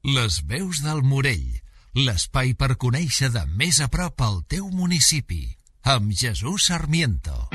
Les veus del Morell, l'espai per conèixer de més a prop el teu municipi, amb Jesús Sarmiento.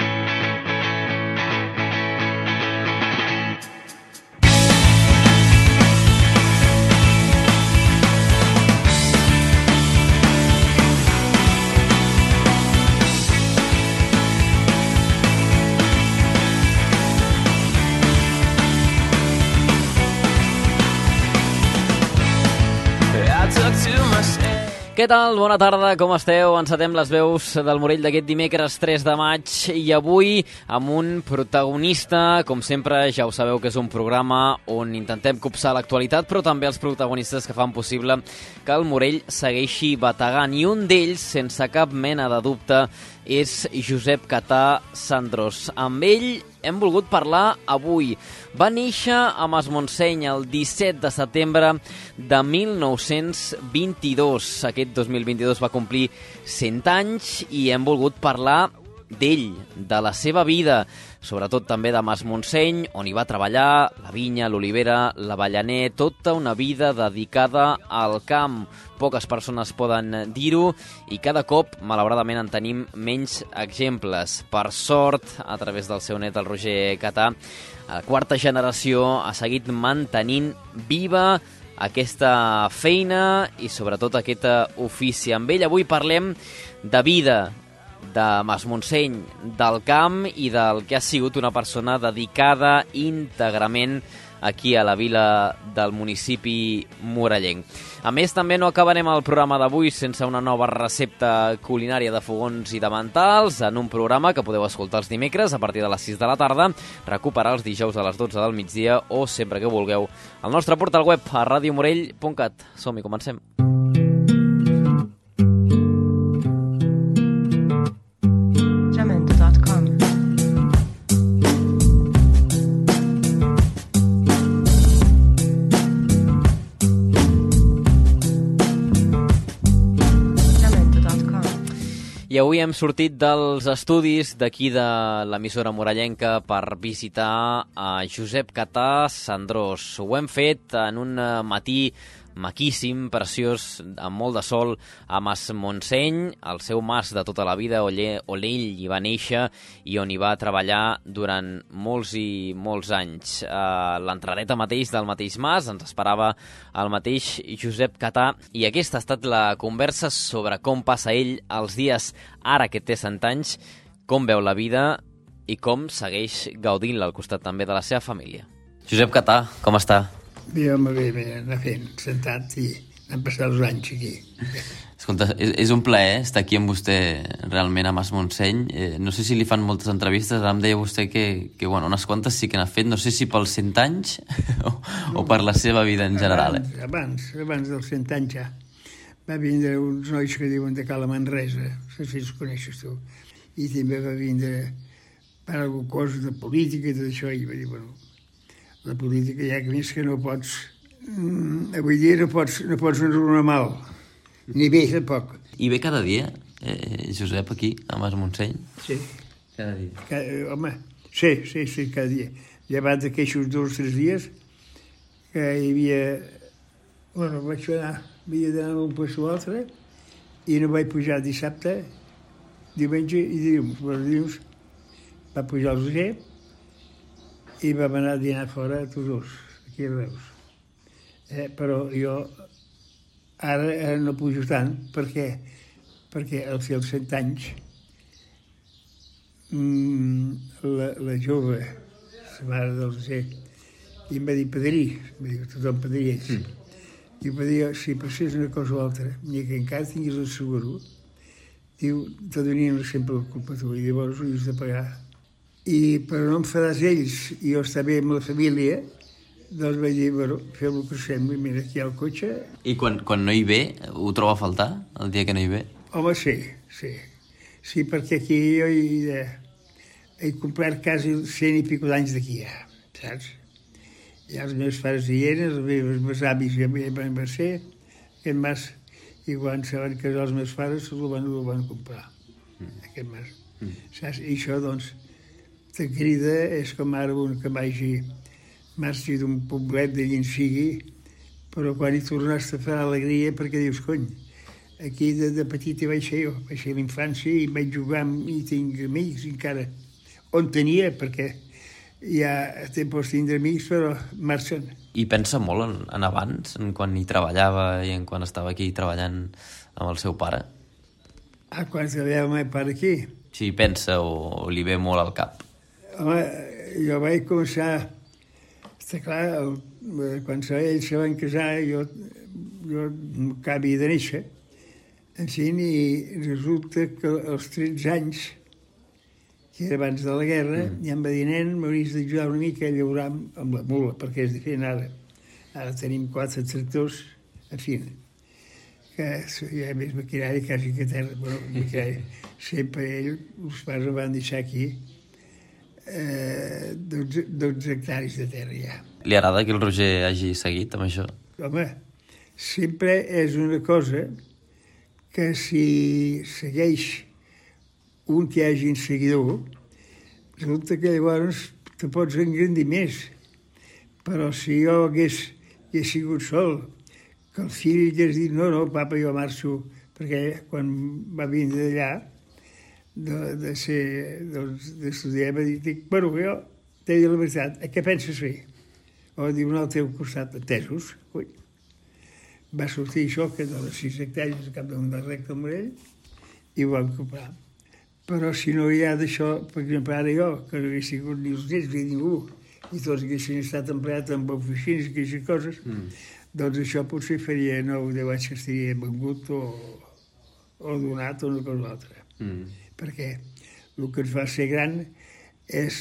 Què tal? Bona tarda, com esteu? Encetem les veus del Morell d'aquest dimecres 3 de maig i avui amb un protagonista, com sempre, ja ho sabeu que és un programa on intentem copsar l'actualitat, però també els protagonistes que fan possible que el Morell segueixi bategant. I un d'ells, sense cap mena de dubte, és Josep Catà Sandrós. Amb ell hem volgut parlar avui. Va néixer a Masmontseny el 17 de setembre de 1922. Aquest 2022 va complir 100 anys i hem volgut parlar d'ell, de la seva vida, sobretot també de Masmontseny, on hi va treballar, la vinya, l'olivera, l'avellaner, tota una vida dedicada al camp. Poques persones poden dir-ho i cada cop, malauradament, en tenim menys exemples. Per sort, a través del seu net, el Roger Catà, la quarta generació ha seguit mantenint viva aquesta feina i sobretot aquest ofici. Amb ell avui parlem de vida, de Masmontseny, del camp i del que ha sigut una persona dedicada íntegrament aquí a la vila del municipi morellenc. A més, també no acabarem el programa d'avui sense una nova recepta culinària de fogons i de mantals en un programa que podeu escoltar els dimecres a partir de les 6 de la tarda, recuperar els dijous a les 12 del migdia o sempre que vulgueu al nostre portal web a radiomorell.cat. Som-hi, comencem. I avui hem sortit dels estudis d'aquí de l'emissora morellenca per visitar a Josep Catà Sandrós. Ho hem fet en un matí maquíssim, preciós, amb molt de sol, a Masmontseny, el seu mas de tota la vida, on ell hi va néixer i on hi va treballar durant molts i molts anys. A l'entradeta mateix del mateix mas ens esperava el mateix Josep Catà i aquesta ha estat la conversa sobre com passa ell els dies ara que té 100 anys, com veu la vida i com segueix gaudint-la al costat també de la seva família. Josep Catà, com està? Bé, home, bé, anar fent, sentat i han passat els anys aquí. Escolta, és un plaer estar aquí amb vostè realment a Masmontseny. No sé si li fan moltes entrevistes, ara em deia vostè que bueno, unes quantes sí que n'ha fet, no sé si pels 100 anys o per la seva vida en general. Abans dels 100 anys ja. Va vindre uns nois que diuen de Cala Manresa, no sé si els coneixes tu, i també va vindre per alguna cosa de política i tot això, i va dir, bueno, la política ja que més que no pots, avui dia no pots anar mal, ni bé tampoc. I ve cada dia, Josep, aquí, a Masmontseny? Sí. Cada dia? Home, sí, cada dia. Llevat d'aquests 2 o 3 dies que hi havia... Bueno, havia d'anar d'un lloc a l'altre i no vaig pujar dissabte, diumenge i dilluns. Els dilluns va pujar el Roger i vam anar a dinar fora tots dos, aquí a Reus. Però jo ara no pujo tant, perquè al fer els 100 anys la jove, la mare del Roger, i em va dir padrí, tothom padrí ells. I em va dir, si passés una cosa o altra, ni que encara tinguis el seguro, diu, te donien sempre la culpa a tu, i llavors ho has de pagar. I per no enfadar ells i jo estar bé amb la família, doncs vaig dir, bueno, fem el que sembla, mira, aquí hi ha el cotxe. I quan no hi ve, ho troba a faltar, el dia que no hi ve? Home, sí. Sí, perquè aquí jo he complert quasi 100 i pico d'anys d'aquí, ja, saps? I els meus pares hi eren, els meus avis ja van ser, aquest mas, i quan se van casar els meus pares, el van comprar, aquest mas. Saps? I això, doncs, te crida, és com ara un que marxi d'un poblet de Llençigui però quan hi tornaste a fer alegria, perquè dius, cony, aquí de petit hi vaig ser jo, vaig ser a l'infància i vaig jugar i tinc amics encara. On tenia, perquè ja pots tindre amics, però marxen. I pensa molt en abans, en quan hi treballava i en quan estava aquí treballant amb el seu pare? Quan treballava el meu pare aquí? Sí, pensa o li ve molt al cap? Home, jo vaig començar... Està clar, quan ells se van casar, jo acabia de néixer, i resulta que als 13 anys, que era abans de la guerra, ja em va dir, nen, m'hauries d'ajudar una mica a llaurar amb la mula, perquè és diferent ara. Ara tenim 4 tractors, en fi, que hi ha més maquinari quasi que terra. Bueno, maquinari, sempre els pares ho van deixar aquí, 12 hectares de terra ja. Li agrada que el Roger hagi seguit amb això? Home, sempre és una cosa que si segueix un que hagi un seguidor, resulta que llavors te pots engrandir més. Però si jo hagués sigut sol, que el fill hagués dit, no, papa, jo marxo, perquè quan va vindre d'allà, d'estudiar, va dir, bueno, jo t'he dit la veritat, què penses fer? O diu, al teu costat, entesos. Ui. Va sortir això, que de les 6 hectàrees al cap d'un del recte al Morell, i ho vam comprar. Però si no hi ha d'això, per exemple, ara jo, que no hagués sigut ni els nets ni ningú, i tots haguessin estat empleats amb oficines i aquestes coses, doncs això potser faria 9 o 10 anys que estaria vengut o donat o una cosa o altra. Perquè el que ens fa ser gran és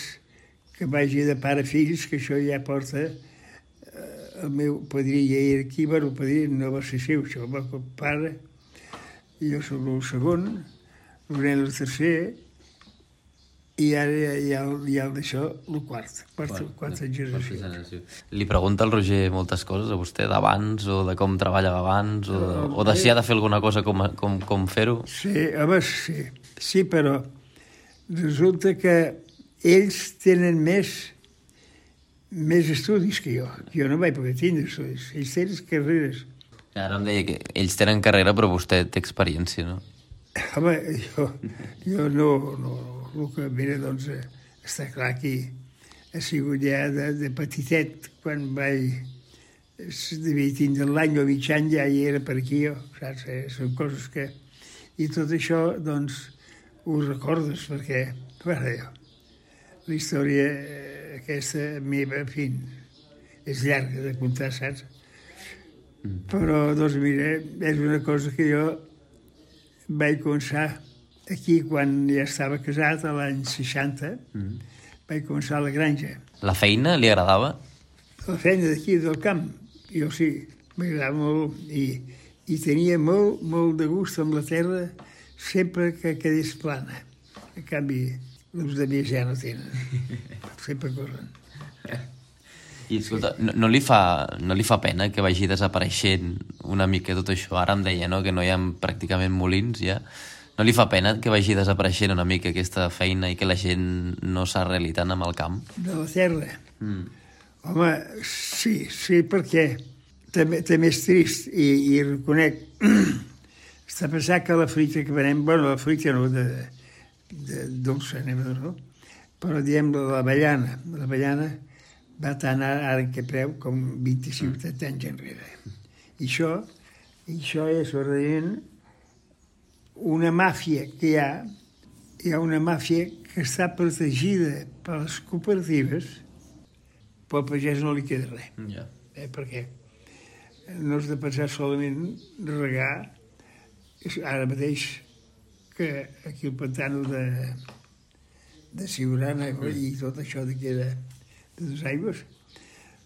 que vagi de pare a fills, que això ja porta el meu padrí ja era aquí, bueno, el padrí no va ser seu, això va el pare, i jo soc el segon, el nen el tercer, i ara hi ha el d'això, el quarta generació. Li pregunta el Roger moltes coses a vostè d'abans, o de com treballava abans, o de si ha de fer alguna cosa com fer-ho? Sí, home, sí, però resulta que ells tenen més estudis que jo. Jo no vaig poder tindre estudis. Ells tenen carreres. Ara em deia que ells tenen carrera, però vostè té experiència, no? Home, jo no. El que mira, doncs, està clar que ha sigut ja de petitet, quan devia tindre l'any o mig any, ja hi era per aquí jo, saps? Són coses que... I tot això, doncs, ho recordes, perquè, bueno, la història aquesta meva, en fi, és llarga de contar, saps? Però, doncs, mira, és una cosa que jo vaig començar aquí quan ja estava casat, a l'any 60, vaig començar a la granja. La feina li agradava? La feina d'aquí, del camp, jo sí, m'agradava molt i tenia molt de gust amb la terra sempre que quedés plana. En canvi, els de més ja no tenen. Sempre corren. I escolta, no li fa pena que vagi desapareixent una mica tot això? Ara em deia, no?, que no hi ha pràcticament molins ja. No li fa pena que vagi desapareixent una mica aquesta feina i que la gent no s'arreli tant amb el camp? De la terra? Home, sí, perquè també és trist i reconec. Està pensant que la fruita que venem, bueno, la fruita no, de dolça, no? Però diem l'avellana. L'avellana va tant ara en què preu com 25 anys enrere. I això és realment una màfia que hi ha una màfia que està protegida per les cooperatives, però al pagès no li queda res. Ja. Perquè no has de pensar solament regar, ara mateix que aquí el pantano de Siurana i tot això de dos aigües,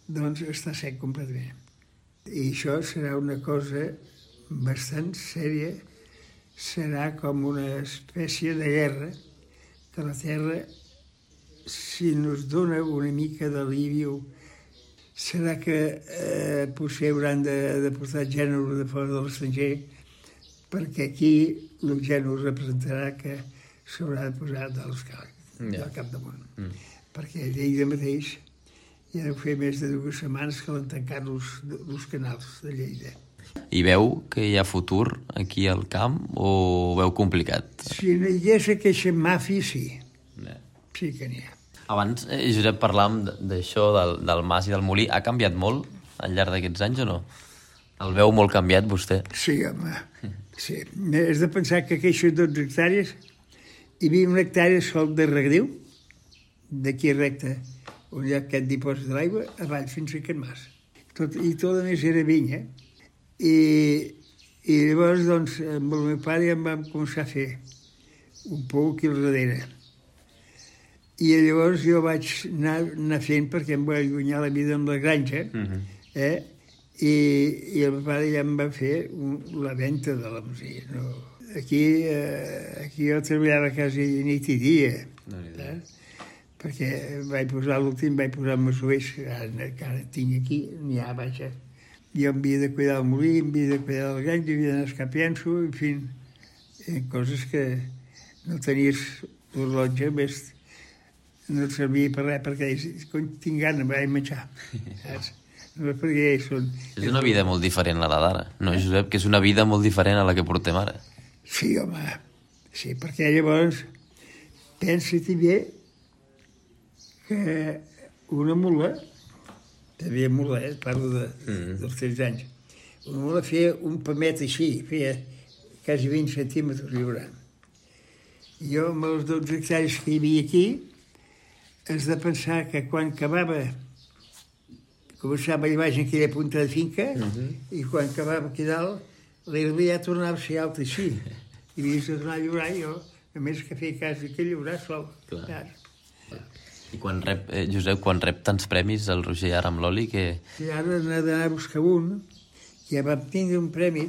doncs està sec completament. I això serà una cosa bastant sèria, serà com una espècie de guerra que la terra, si nos dona una mica d'alivi, serà que potser hauran de portar gènere de fora de l'estranger, perquè aquí el gènere representarà que s'haurà de posar del capdamunt. Perquè a Lleida mateix I ara ho fer més de 2 setmanes que l'han tancat els canals de Lleida. I veu que hi ha futur aquí al camp o ho veu complicat? Si no hi hagués aquesta màfia, sí. Sí que n'hi ha. Abans, Josep, parlàvem d'això, del mas i del molí. Ha canviat molt al llarg d'aquests anys o no? El veu molt canviat, vostè? Sí, home. Sí. Has de pensar que aquestes 12 hectàrees, hi havia 1 hectàrea sol de regadiu, d'aquí recte, on hi ha aquest dipòsit de l'aigua, avall fins a aquest mas. I tot a més era vinya. I llavors, doncs, amb el meu pare ja em vam començar a fer un pou aquí al darrere. I llavors jo vaig anar fent perquè em vaig guanyar la vida amb la granja, i el meu pare ja em va fer la venda de la masia. No? Aquí jo treballava quasi nit i dia, perquè vaig posar l'últim, vaig posar masovers, que ara tinc aquí, n'hi ha, vaja. Jo em havia de cuidar el molí, em havia de cuidar la granja, havia d'anar escapiant-s'ho, en fi, coses que no tenies l'horlotge, més no et servia per res, perquè tinc gana, vaig menjar, saps? No, perquè són... És una vida molt diferent a la d'ara, no, Josep? Que és una vida molt diferent a la que portem ara. Sí, home, sí, perquè llavors pensa-t'hi bé que una mula, també mula, parlo dels 13 anys, una mula feia un pamet així, feia quasi 20 centímetres, hi haurà. Jo, amb els 12 hectàrees que hi havia aquí, has de pensar que quan acabava, començava allà baix en aquella punta de finca, i quan acabava aquí dalt, l'herba ja tornava a ser alta així. I havies de tornar a llaurar, jo, a més que feia cas que llaurar sol. I quan rep, Josep, quan rep tants premis, el Roger ara amb l'oli, que... I ara n'ha d'anar a buscar un, que ja vam tindre un premi,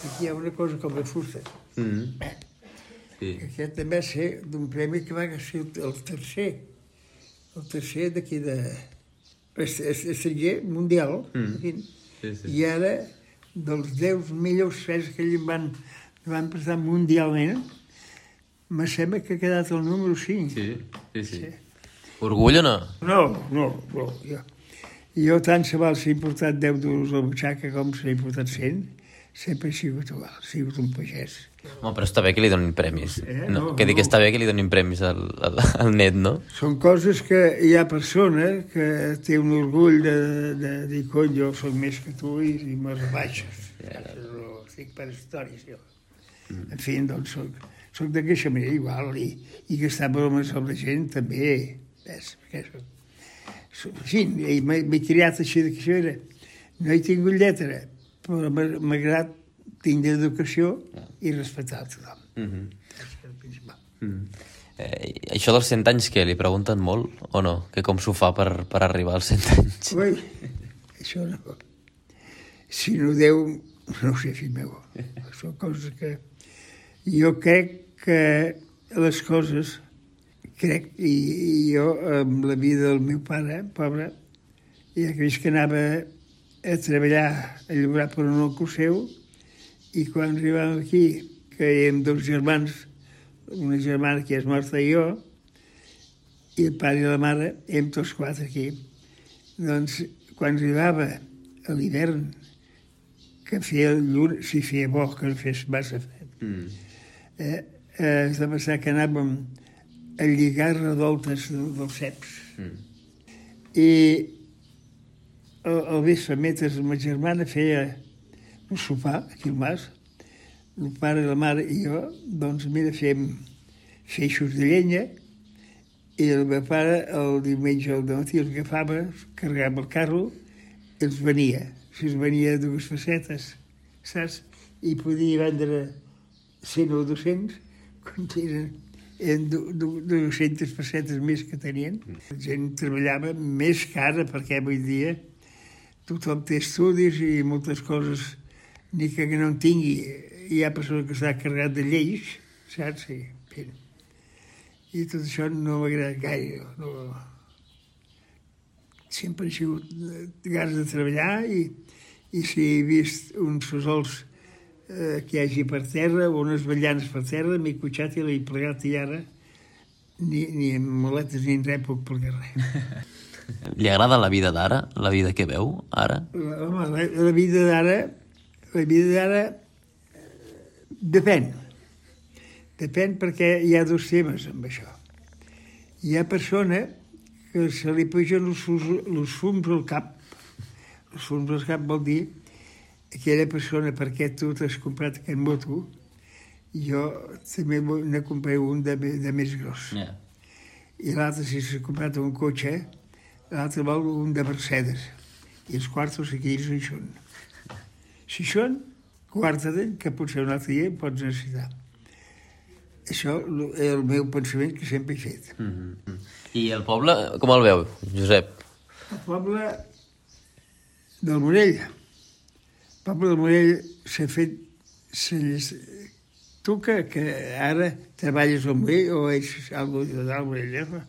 aquí hi ha una cosa com la fusta. Sí. Aquest també va ser d'un premi que va ser el tercer d'aquí de... estranger mundial. I ara, dels 10 millors fets que ells van presentar mundialment, me sembla que ha quedat el número 5. Sí. Orgull o no? No. Jo tant se val si he portat 10 duros a la butxaca com si he portat 100, sempre he sigut igual, he sigut un pagès. Home, però està bé que li donin premis. Que dic que està bé que li donin premis al net, no? Són coses que hi ha persona que té un orgull de dir, cony, jo soc més que tu i me rebaixes. Estic per històries, jo. En fi, doncs soc d'aquesta manera igual i gastar bromes amb la gent també. Sí, m'he criat així d'aquesta manera. No he tingut lletra, però m'agrada tindre educació i respectar tothom. És el principal. Això dels 100 anys, què? Li pregunten molt o no? Que com s'ho fa per arribar als 100 anys? Ui, això no. Si no Déu, no ho sé, fill meu. Són coses que... Jo crec que les coses... I jo, amb la vida del meu pare, pobre, ja que veig que anava a treballar, a llaurar per un oncle seu, i quan arribàvem aquí, que érem 2 germans, una germana que és morta i jo, i el pare i la mare, érem tots 4 aquí. Doncs, quan arribava a l'hivern, que feia lluna, si feia bo, que no fes massa fred, has de pensar que anàvem a lligar redoltes dels ceps. I al vespre, mentre ma germana feia un sopar, aquí al mas, el pare, la mare i jo, doncs mira, fèiem feixos de llenya, i el meu pare el diumenge al matí els agafava, carregava el carro, i els venia. Si els venia 2 facetes, saps? I podia vendre 100 o 200, quan eren 200 facetes més que tenien. La gent treballava més cara, perquè avui dia tothom té estudis i moltes coses, ni que no en tingui. Hi ha persones que s'ha carregat de lleis, saps? I tot això no m'ha agradat gaire. Sempre he sigut ganes de treballar i si he vist uns fesols que hi hagi per terra o unes vetllanes per terra, m'he cotxat i l'he plegat i ara ni en maletes ni en res puc plegar res. Li agrada la vida d'ara? La vida que veu ara? Home, la vida d'ara depèn. Depèn perquè hi ha dos temes amb això. Hi ha persona que se li pugen els fums al cap. Els fums al cap vol dir aquella persona perquè tu t'has comprat aquest moto, jo també ne compré un de més gros. Yeah. I l'altre, si s'ha comprat un cotxe, l'altre vol un de Mercedes. I els quartos aquells no hi són. Si són, guarda-te'n, que potser un altre dia em pots necessitar. Això és el meu pensament que sempre he fet. I el poble, com el veu, Josep? El poble del Morell. El poble del Morell s'ha fet... Tu que ara treballes al Morell o ets algú del Morell,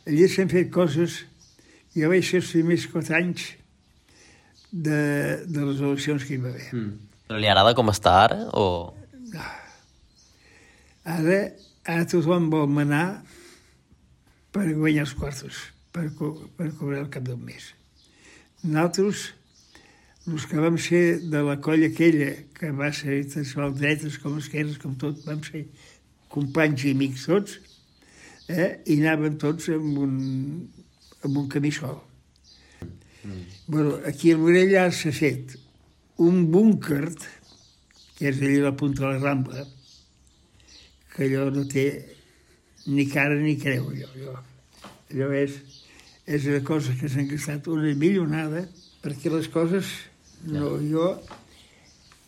allà s'han fet coses... Jo vaig ser els primers 4 anys de les eleccions que hi va haver. Però li agrada com està ara, o...? No. Ara tothom vol manar per guanyar els quartos, per cobrar el cap del mes. Nosaltres, els que vam ser de la colla aquella, que va ser tant dretes com esquerres, com tot, vam ser companys i amics tots, i anàvem tots amb un camí sol. Bueno, aquí al Morell ja s'ha fet un búnquer, que és allà a la punta de la Rambla, que allò no té ni cara ni creu, allò és una cosa que s'han gastat una millonada, perquè les coses, no, jo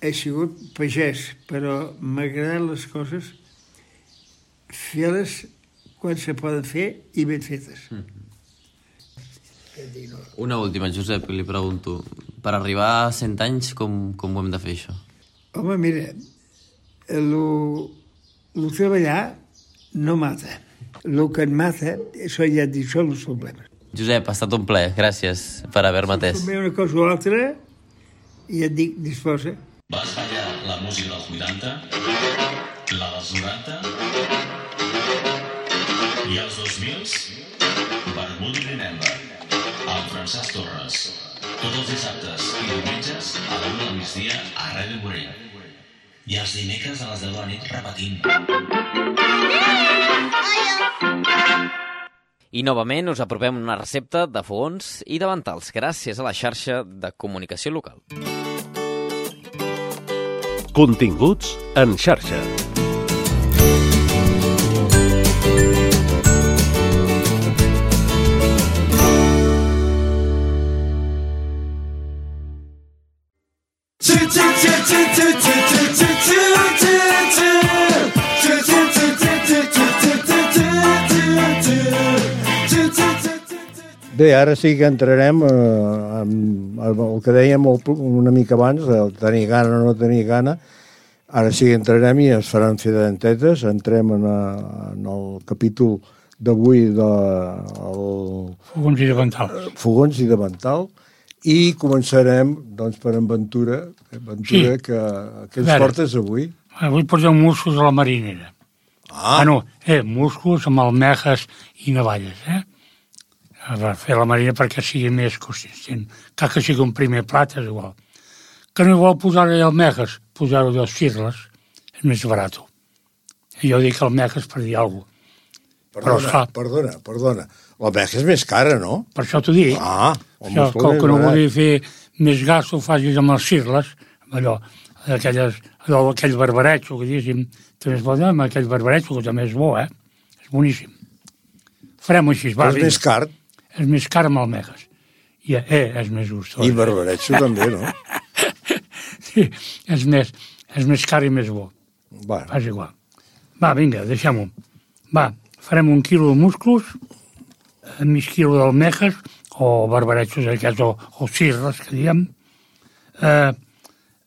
he sigut pagès, però m'agraden les coses fer-les quan se poden fer i ben fetes. Una última, Josep, li pregunto. Per arribar a 100 anys, com ho hem de fer, això? Home, mira, el treballar no mata. El que et mata, això ja et dic, són els problemes. Josep, ha estat un plaer. Gràcies per haver-me atès. Si una cosa o l'altra, i et dic, disposa. Vas ballar la música dels 80, la dels 90 i els 2000s, Vermut i Remember, amb Francesc Torres. Tots els dissabtes i diumenges a la 1 del migdia a Ràdio Morell. I els dimecres a les 10 de la nit repetint. I novament us apropem una recepta de fogons i davantals gràcies a la xarxa de comunicació local. Continguts en xarxa. Bé, ara sí que entrarem amb el que dèiem una mica abans, de tenir gana o no tenir gana. Ara sí que entrarem i es faran fedantetes. Entrem en el capítol d'avui del... Fogons i davantals. Fogons i davantal. I començarem, doncs, per en Ventura, sí. que ens portes avui. Avui portem musclos a la marinera. Musclos amb almejes i navalles, per fer la marina perquè sigui més consistent. Cal que sigui un primer plat, és igual. Que no vol posar-hi almejes, posar-ho de cirles, és més barat. Jo dic almejes per dir alguna cosa. Perdona. L'almeja és més cara, no? Per això t'ho dic. Com que no vulgui fer més gas, ho facis amb els cirles, aquell barbaretxo, que diguéssim, també es pot dir amb aquell barbaretxo, que també és bo, És boníssim. Farem així, va. És més car. És més car amb almejes. I és més gustós. I barbaretxo també, no? Sí, és més car i més bo. Va. Fas igual. Va, vinga, deixem-ho. Va, farem 1 quilo de musclos, mig quilo d'almejes, o barbaretxos aquests, o cirres, que diem,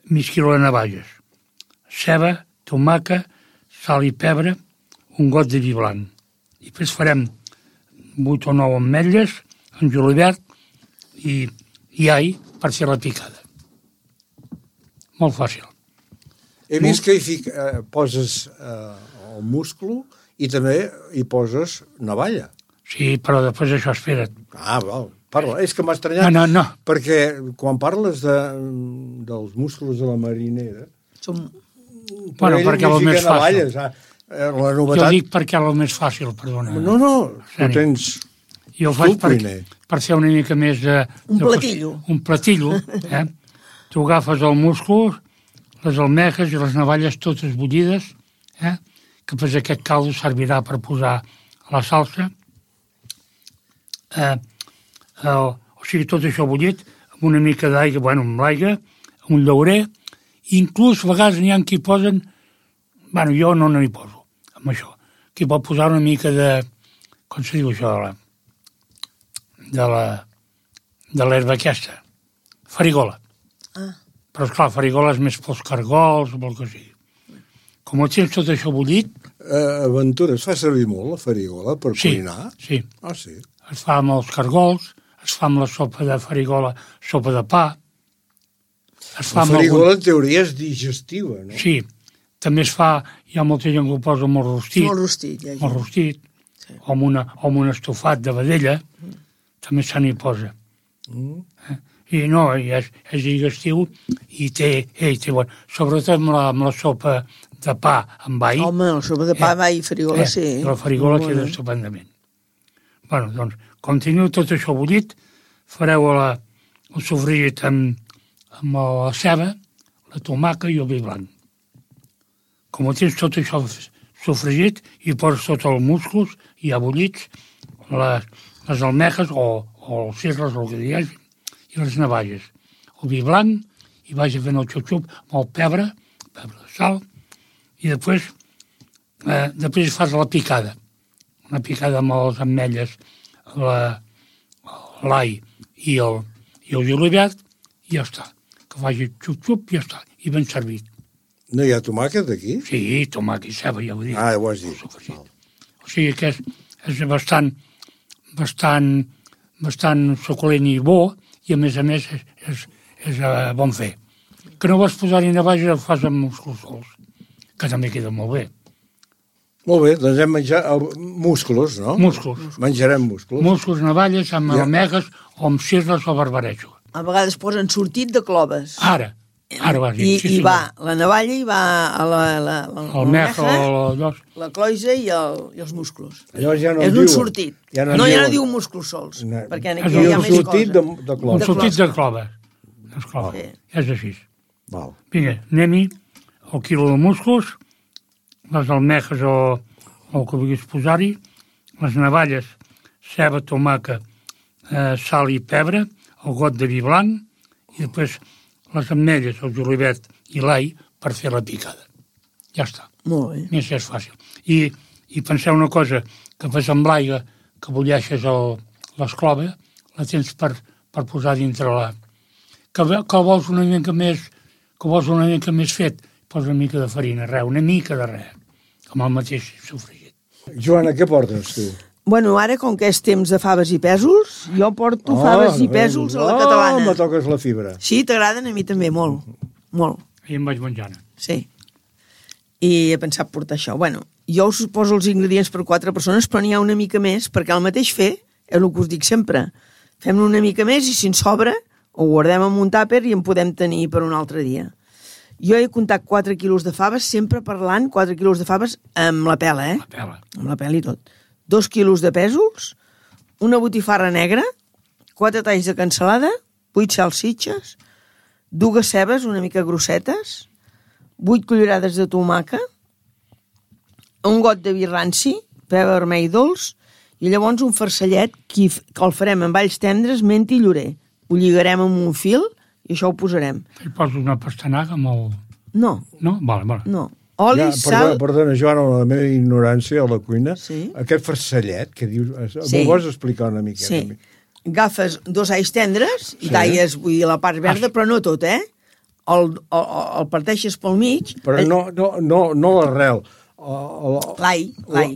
mig quilo de navalles, ceba, tomaca, sal i pebre, un got de vi blanc. I després farem 8 o 9 ametlles, en julivert i all per fer la picada. Molt fàcil. He vist que poses el musclo i també hi poses navalla. Sí, però després això espera't. Val. Parla. És que m'ha estranyat. No. Perquè quan parles dels músculs de la marinera... Bueno, perquè el més fàcil. La novetat... Jo dic perquè és el més fàcil, perdona. No, tu tens... Jo ho faig per fer una mica més de... Un platillo. Un platillo, Tu agafes el múscul, les almejes i les navalles totes bullides, que després aquest caldo servirà per posar a la salsa. O sigui, tot això bullit, amb una mica d'aigua, amb l'aigua, amb un llaurer, inclús a vegades n'hi ha qui posen, jo no n'hi poso, amb això, qui pot posar una mica de, com se diu això, de l'herba aquesta, farigola. Però, esclar, farigola és més pels cargols o pel que sigui. Com ho tens tot això bullit... Ventura, es fa servir molt la farigola per cuinar? Sí. Sí. Es fa amb els cargols, es fa amb la sopa de farigola, sopa de pa. La farigola, en teoria, és digestiva, no? Sí. També es fa, hi ha molta gent que ho posa molt rostit. Molt rostit, ja. Molt rostit. Sí. O amb un estofat de vedella, també se n'hi posa. I no, és digestiu i té bon. Sobretot amb la sopa de pa amb all. Home, la sopa de pa amb all i farigola, sí. La farigola queda estupendament. Bueno, doncs, com teniu tot això bullit, fareu el sofregit amb la ceba, la tomaca i el vi blanc. Com tens tot això sofregit, hi poses tots els músculs ja bullits, les almejes o els cirles, el que hi hagi, i les navalles. El vi blanc, i vagi fent el xup-xup amb el pebre de sal, i després fas la picada. Una picada amb les ametlles, l'all i el julivert, i ja està. Que faci xup-xup i ja està. I ben servit. No hi ha tomàquet aquí? Sí, tomàquet i ceba, ja ho dic. Ho has dit. O sigui que és bastant suculent i bo, i a més és bon fer. Que no vas posar-hi navalles, el fas amb músculs sols, que també queda molt bé. Molt bé, doncs hem menjat músculs, no? Músculs. Menjarem músculs. Músculs, navalles, amb almegues o amb cirles o barbarejo. A vegades posen sortit de cloves. Ara ho has dit. I va la navalla i va l'almeja, la cloisa i els músculs. Llavors ja no és un sortit. Ja no diu músculs sols, perquè aquí hi ha més cosa. Un sortit de cloves. És així. Vinga, anem-hi el quilo de músculs, les almejes o el que vulguis posar-hi, les navalles, ceba, tomaca, sal i pebre, el got de vi blanc, i després les ametlles, el julivert i l'all per fer la picada. Ja està. Molt bé. Més és fàcil. I penseu una cosa, que fas amb l'aigua, que bulleixes l'esclova, la tens per posar dintre la... Que vols una mica més fet, posa una mica de farina, una mica de res, com el mateix sofregit. Joana, què portes tu? Bueno, ara, com que és temps de faves i pèsols, jo porto faves i pèsols a la catalana. Me toques la fibra. Sí, t'agraden a mi també, molt. Molt. I em vaig menjant. Sí. I he pensat portar això. Bueno, jo us poso els ingredients per 4 persones, però n'hi ha una mica més, perquè el mateix fer, és el que us dic sempre. Fem-ne una mica més i si en sobra, ho guardem en un tàper i en podem tenir per un altre dia. Jo he comptat 4 quilos de faves, sempre parlant 4 quilos de faves amb la pela, La pela. Amb la pela i tot. 2 quilos de pèsols, una botifarra negra, 4 talls de cansalada, 8 salsitxes, 2 cebes una mica grossetes, 8 cullerades de tomaca, un got de vi ranci, pebre vermell dolç, i llavors un farcellet que el farem amb alls tendres, menta i llorer. Ho lligarem amb un fil i això ho posarem. I poses una pastanaga amb el... No. No? Vale. No. Oli, sal... Perdona, Joana, la meva ignorància a la cuina. Sí. Aquest farcellet que dius... Sí. M'ho vols explicar una mica? Sí. Agafes 2 alls tendres i talles, vull dir, la part verda, però no tot, el parteixes pel mig... Però no l'arrel. L'all.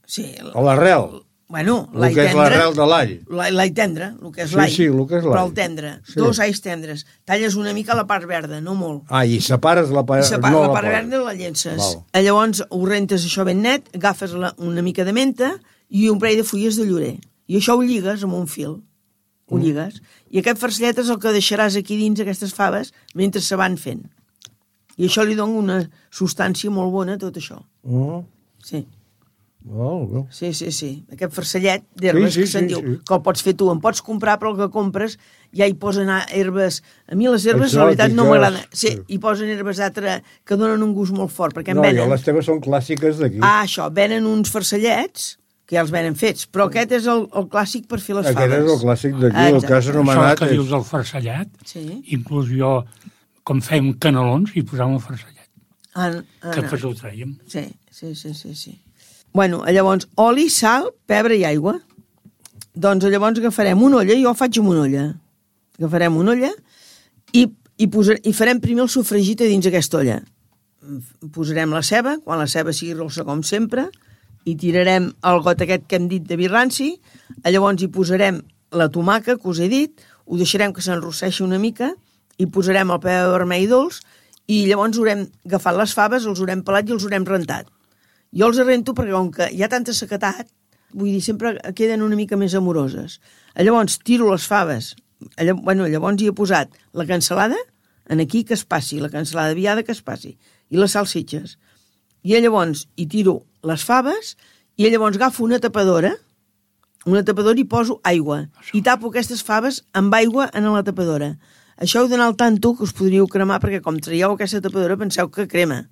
Sí. L'arrel. Bueno, l'all tendre... El que és l'arrel de l'all. L'all tendre, el que és l'all. Sí, el que és l'all. Però el tendre. Sí. 2 alls tendres. Talles una mica la part verda, no molt. I separes la part... la part verda i la llences. Llavors ho rentes això ben net, agafes una mica de menta i un parell de fulles de llorer. I això ho lligues amb un fil. Ho lligues. I aquest farcellet és el que deixaràs aquí dins aquestes faves mentre se van fent. I això li dona una substància molt bona a tot això. Sí. Sí. Aquest farcellet d'herbes que se'n diu, que el pots fer tu. En pots comprar, però el que compres ja hi posen herbes. A mi les herbes, la veritat, no m'agraden. Sí, hi posen herbes d'altre que donen un gust molt fort, perquè en venen... les teves són clàssiques d'aquí. Això, venen uns farcellets, que ja els venen fets, però aquest és el clàssic per fer les faves. Aquest és el clàssic d'aquí, el que has anomenat... Això que dius del farcellet, inclús jo, com fèiem canelons, hi posàvem el farcellet. Que després ho traiem. Sí. Bueno, llavors, oli, sal, pebre i aigua. Doncs llavors agafarem una olla, jo ho faig amb una olla. Agafarem una olla i farem primer el sofregit a dins aquesta olla. Posarem la ceba, quan la ceba sigui rossa com sempre, i tirarem el got aquest que hem dit de vi ranci, llavors hi posarem la tomaca, que us he dit, ho deixarem que s'enrosseixi una mica, i posarem el pebre vermell dolç, i llavors haurem agafat les faves, els haurem pelat i els haurem rentat. Jo els rento perquè com que hi ha tanta sequetat, vull dir, sempre queden una mica més amoroses. Llavors tiro les faves, llavors hi he posat la cansalada, aquí que es passi, la cansalada viada que es passi, i les salsitxes. I llavors hi tiro les faves i llavors agafo una tapadora i poso aigua i tapo aquestes faves amb aigua en la tapadora. Això heu d'anar al tanto que us podríeu cremar perquè com traieu aquesta tapadora penseu que crema.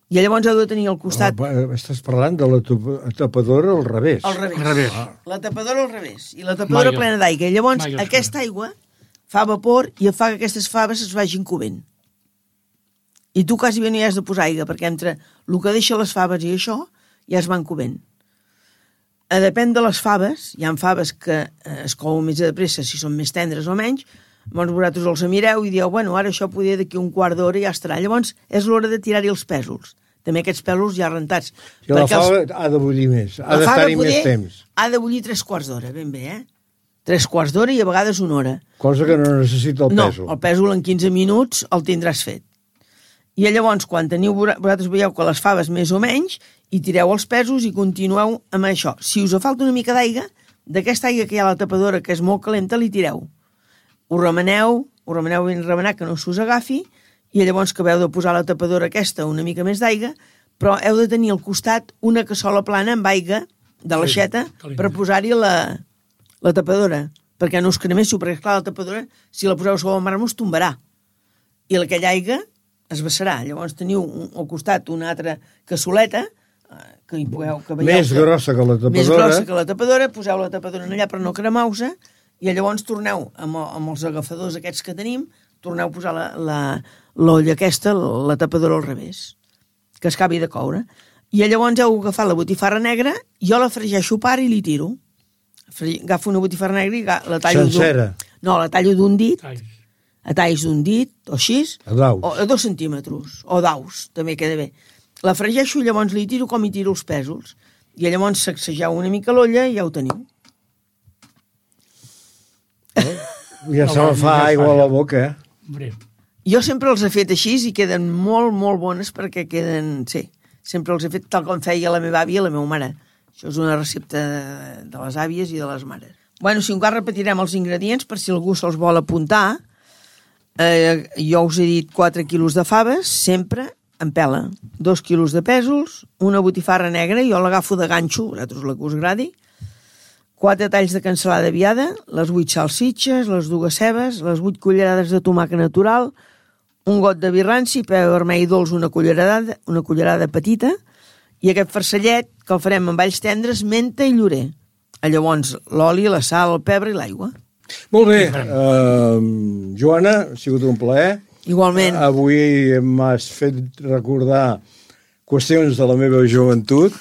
I llavors heu de tenir al costat... Estàs parlant de la tapadora al revés. Al revés. La tapadora al revés. I la tapadora plena d'aigua. I llavors aquesta aigua fa vapor i fa que aquestes faves es vagin covent. I tu quasi bé no hi has de posar aigua, perquè entre el que deixa les faves i això ja es van covent. Depèn de les faves, hi ha faves que es couen més de pressa si són més tendres o menys, llavors vosaltres els mireu i dieu, bueno, ara això podria d'aquí un quart d'hora i ja estarà. Llavors és l'hora de tirar-hi els pèsols. També aquests pèsols ja rentats. I la fava ha de bullir més, ha d'estar-hi més temps. Ha de bullir 3/4 d'hora, ben bé, 3/4 d'hora i a vegades 1 hora. Cosa que no necessita el pèsol. No, el pèsol en 15 minuts el tindràs fet. I llavors, quan vosaltres veieu que les faves més o menys, i tireu els pèsols i continueu amb això. Si us falta una mica d'aigua, d'aquesta aigua que hi ha a la tapadora, que és molt calenta, li tireu. Ho remeneu ben remenat, que no s'us agafi, i llavors que heu de posar a la tapadora aquesta una mica més d'aigua, però heu de tenir al costat una cassola plana amb aigua de l'aixeta per posar-hi la tapadora, perquè no us creméssiu, perquè esclar, la tapadora, si la poseu sobre el màrmol, es tombarà. I aquella aigua es vessarà. Llavors teniu al costat una altra cassoleta que hi pugueu... Més grossa que la tapadora. Més grossa que la tapadora, poseu la tapadora allà per no cremar-se i llavors torneu amb els agafadors aquests que tenim, torneu a posar l'olla aquesta, la tapadora al revés, que es acabi de coure. I llavors heu agafat la botifarra negra, jo la fregeixo a part i li tiro. Agafo una botifarra negra i la tallo... Sencera? No, la tallo d'un dit, a talls d'un dit, o així, o a 2 centímetres, o daus, també queda bé. La fregeixo i llavors li tiro com hi tiro els pèsols. I llavors sacsegeu una mica l'olla i ja ho teniu. Ja se me fa aigua a la boca, Jo sempre els he fet així i queden molt, molt bones perquè queden... Sí, sempre els he fet tal com feia la meva àvia i la meva mare. Això és una recepta de les àvies i de les mares. Bueno, si encara repetirem els ingredients per si algú se'ls vol apuntar. Jo us he dit 4 quilos de faves, sempre en pela. 2 quilos de pèsols, una botifarra negra, jo l'agafo de ganxo, vosaltres la que us agradi. 4 talls de cansalada viada, les 8 salsitxes, les 2 cebes, les 8 cullerades de tomàquet natural, un got de vi ranci, pebre vermell dolç, una cullerada petita, i aquest farcellet que el farem amb alls tendres, menta i llorer. Llavors, l'oli, la sal, el pebre i l'aigua. Molt bé. Joana, ha sigut un plaer. Igualment. Avui m'has fet recordar qüestions de la meva joventut.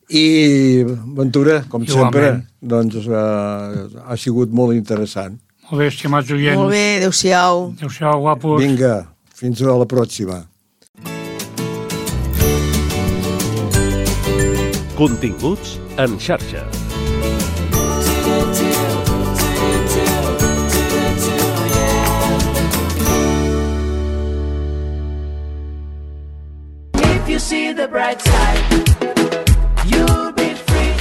I, Ventura, com sempre, doncs ha sigut molt interessant. Molt bé, estimats oients. Molt bé, adéu-siau. Adéu-siau, guapos. Vinga, fins a la pròxima. Continguts en xarxa. If you see the bright side, you'll be free.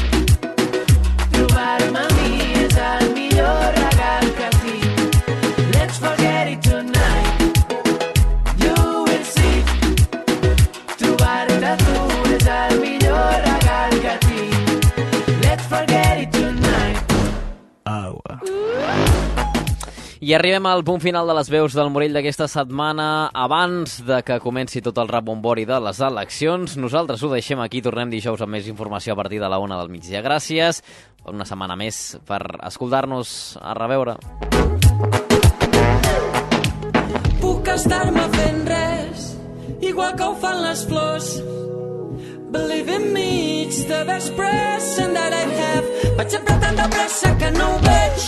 I arribem al punt final de les veus del Morell d'aquesta setmana. Abans de que comenci tot el rebombori de les eleccions, nosaltres ho deixem aquí. Tornem dijous amb més informació a partir de la 1 del migdia. Gràcies per una setmana més per escoltar-nos. A reveure. Puc estar-me fent res, igual que ho fan les flors. Believe in me, it's the best present that I have. Vaig sempre tan de pressa que no ho veig.